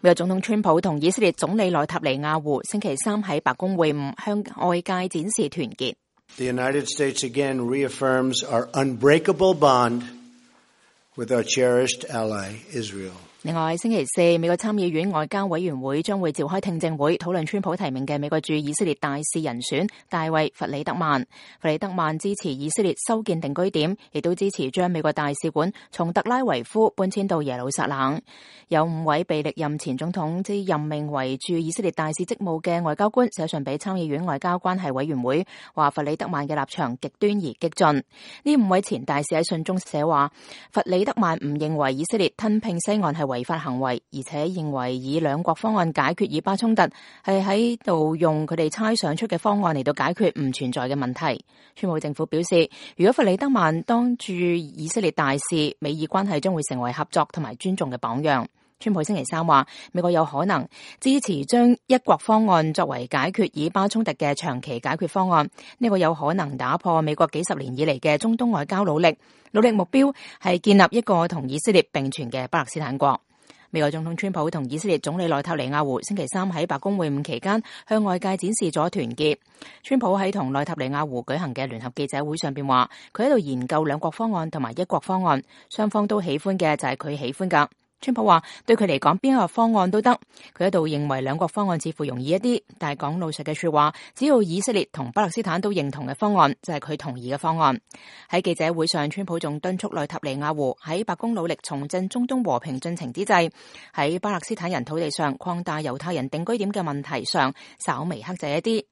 美國總統川普同以色列總理內塔尼亞胡星期三喺白宮會晤，向外界展示團結。The United States again reaffirms our unbreakable bond with our cherished ally, Israel. 另外，星期四，美國參議院外交委員會將會召開聽證會，討論川普提名嘅美國駐以色列大使人選大衛·弗里德曼。弗里德曼支持以色列修建定居點，亦都支持將美國大使館從特拉維夫搬遷到耶路撒冷。有5位被歷任前總統之任命為駐以色列大使職務嘅外交官寫信俾參議院外交關係委員會，話弗里德曼嘅立場極端而激進。呢5位前大使喺信中寫話，弗里德曼唔認為以色列吞併西岸係違法行為，而且認為以兩國方案解決以巴衝突係喺度用佢哋猜想出嘅方案嚟到解決唔存在嘅問題。川普政府表示，如果弗里德曼當駐以色列大使，美以關係將會成為合作同埋尊重嘅榜樣。川普星期三話，美國有可能支持將一國方案作為解決以巴衝突嘅長期解決方案，呢個有可能打破美國幾十年以嚟嘅中東外交努力目標係建立一個同以色列並存嘅巴勒斯坦國。美國總統川普同以色列總理內塔尼亞胡星期三喺白宮會晤期間，向外界展示咗團結。川普喺同內塔尼亞胡舉行嘅聯合記者會上邊話，佢喺度研究兩國方案同埋一國方案，雙方都喜歡嘅就係佢喜歡噶。川普話對佢嚟講邊一個方案都得，佢喺度認為兩國方案似乎容易一啲，但係講老實嘅說話，只要以色列同巴勒斯坦都認同嘅方案，就係佢同意嘅方案。喺記者會上，川普仲敦促內塔尼亞胡喺白宮努力重振中東和平進程之際，喺巴勒斯坦人土地上擴大猶太人定居點嘅問題上稍微克制一啲。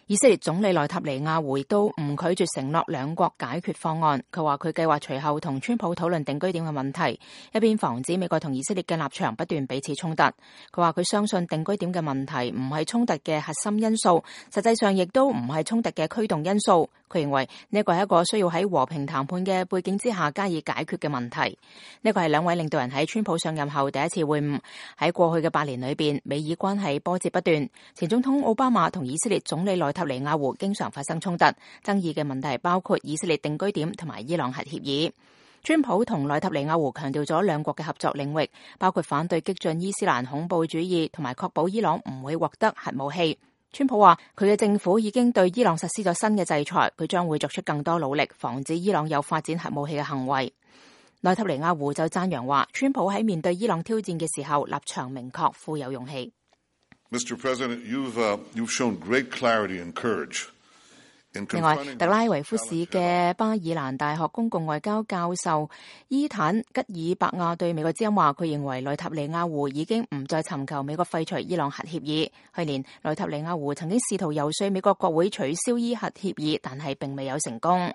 以色列總理內塔尼亞胡亦都唔拒絕承諾兩國解決方案。佢話佢計劃隨後同川普討論定居點嘅問題，一邊防止美國同以色列嘅立場不斷彼此衝突。佢話佢相信定居點嘅問題唔係衝突嘅核心因素，實際上亦都唔係衝突嘅驅動因素。佢認為呢個係一個需要喺和平談判嘅背景之下加以解決嘅問題。呢個係兩位領導人喺川普上任後第一次會晤。喺過去嘅8年裏邊，美以關係波折不斷。前總統奧巴馬同以色列總理內塔尼亞胡經常發生衝突，爭議嘅問題包括以色列定居點同埋伊朗核協議。川普同內塔尼亞胡強調咗兩國嘅合作領域，包括反對激進伊斯蘭恐怖主義同埋確保伊朗唔會獲得核武器。川普話佢嘅政府已經對伊朗實施咗新嘅制裁，佢將會作出更多努力防止伊朗有發展核武器嘅行為。內塔尼亞胡就讚揚話，川普喺面對伊朗挑戰嘅時候立場明確，富有勇氣。Mr. President, you've shown great clarity and courage. 另外，特拉維夫市嘅巴爾蘭大學公共外交教授伊坦吉爾伯亞對美國之音話，佢認為內塔尼亞胡已經唔再尋求美國廢除伊朗核協議。去年內塔尼亞胡曾經試圖遊說美國國會取消伊核協議，但係並未有成功。